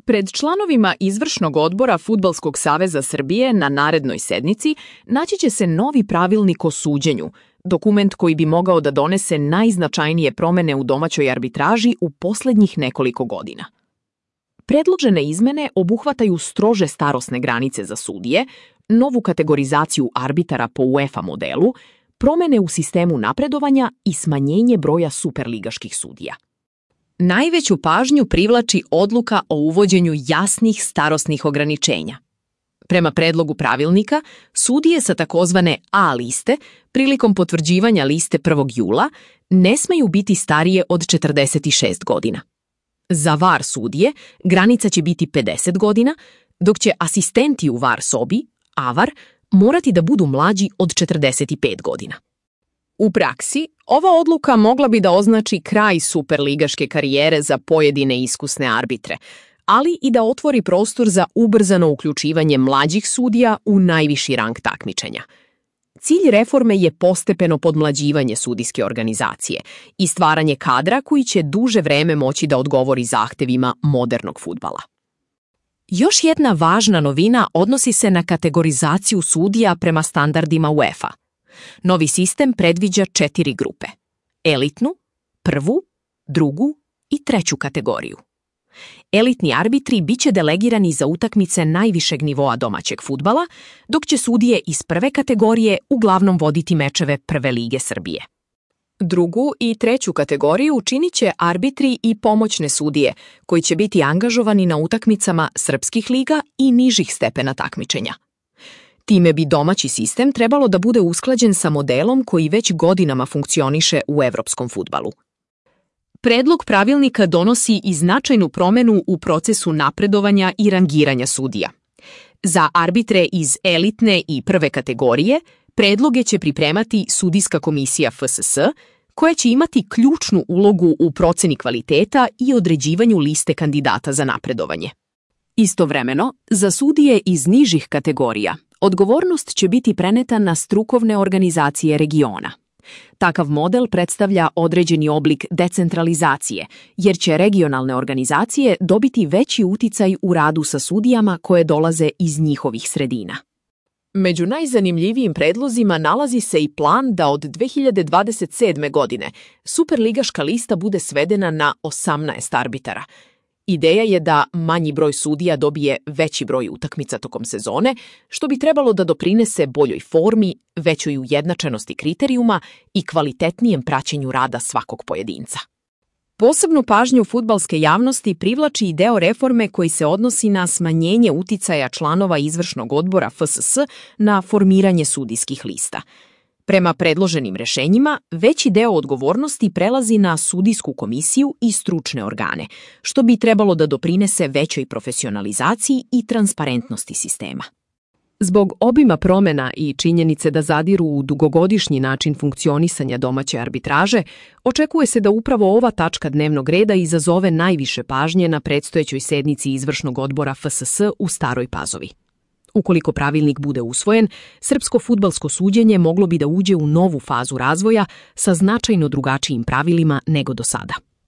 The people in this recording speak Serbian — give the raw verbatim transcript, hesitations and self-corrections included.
Pred članovima Izvršnog odbora Fudbalskog saveza Srbije na narednoj sednici naći će se novi pravilnik o suđenju, dokument koji bi mogao da donese najznačajnije promene u domaćoj arbitraži u poslednjih nekoliko godina. Predložene izmene obuhvataju strože starosne granice za sudije, novu kategorizaciju arbitara po UEFA modelu, promene u sistemu napredovanja i smanjenje broja superligaških sudija. Najveću pažnju privlači odluka o uvođenju jasnih starosnih ograničenja. Prema predlogu pravilnika, sudije sa takozvane A liste, prilikom potvrđivanja liste prvog jula, ne smeju biti starije od četrdeset šest godina. Za V A R sudije granica će biti pedeset godina, dok će asistenti u V A R sobi, A V A R, morati da budu mlađi od četrdeset pet godina. U praksi, ova odluka mogla bi da označi kraj superligaške karijere za pojedine iskusne arbitre, ali i da otvori prostor za ubrzano uključivanje mlađih sudija u najviši rang takmičenja. Cilj reforme je postepeno podmlađivanje sudijske organizacije i stvaranje kadra koji će duže vreme moći da odgovori zahtevima modernog fudbala. Još jedna važna novina odnosi se na kategorizaciju sudija prema standardima UEFA. Novi sistem predviđa četiri grupe: elitnu, prvu, drugu i treću kategoriju. Elitni arbitri biće delegirani za utakmice najvišeg nivoa domaćeg fudbala, dok će sudije iz prve kategorije uglavnom voditi mečeve Prve lige Srbije. Drugu i treću kategoriju činit će arbitri i pomoćne sudije, koji će biti angažovani na utakmicama srpskih liga i nižih stepena takmičenja. Time bi domaći sistem trebalo da bude usklađen sa modelom koji već godinama funkcioniše u evropskom fudbalu. Predlog pravilnika donosi i značajnu promenu u procesu napredovanja i rangiranja sudija. Za arbitre iz elitne i prve kategorije predloge će pripremati sudijska komisija F S S, koja će imati ključnu ulogu u proceni kvaliteta i određivanju liste kandidata za napredovanje. Istovremeno, za sudije iz nižih kategorija odgovornost će biti preneta na strukovne organizacije regiona. Takav model predstavlja određeni oblik decentralizacije, jer će regionalne organizacije dobiti veći uticaj u radu sa sudijama koje dolaze iz njihovih sredina. Među najzanimljivijim predlozima nalazi se i plan da od dve hiljade dvadeset sedme. godine superligaška lista bude svedena na osamnaest arbitara. Ideja je da manji broj sudija dobije veći broj utakmica tokom sezone, što bi trebalo da doprinese boljoj formi, većoj ujednačenosti kriterijuma i kvalitetnijem praćenju rada svakog pojedinca. Posebnu pažnju fudbalske javnosti privlači i deo reforme koji se odnosi na smanjenje uticaja članova Izvršnog odbora F S S na formiranje sudijskih lista. Prema predloženim rešenjima, veći deo odgovornosti prelazi na sudijsku komisiju i stručne organe, što bi trebalo da doprinese većoj profesionalizaciji i transparentnosti sistema. Zbog obima promena i činjenice da zadiru u dugogodišnji način funkcionisanja domaće arbitraže, očekuje se da upravo ova tačka dnevnog reda izazove najviše pažnje na predstojećoj sednici Izvršnog odbora F S S u Staroj Pazovi. Ukoliko pravilnik bude usvojen, srpsko fudbalsko suđenje moglo bi da uđe u novu fazu razvoja sa značajno drugačijim pravilima nego do sada.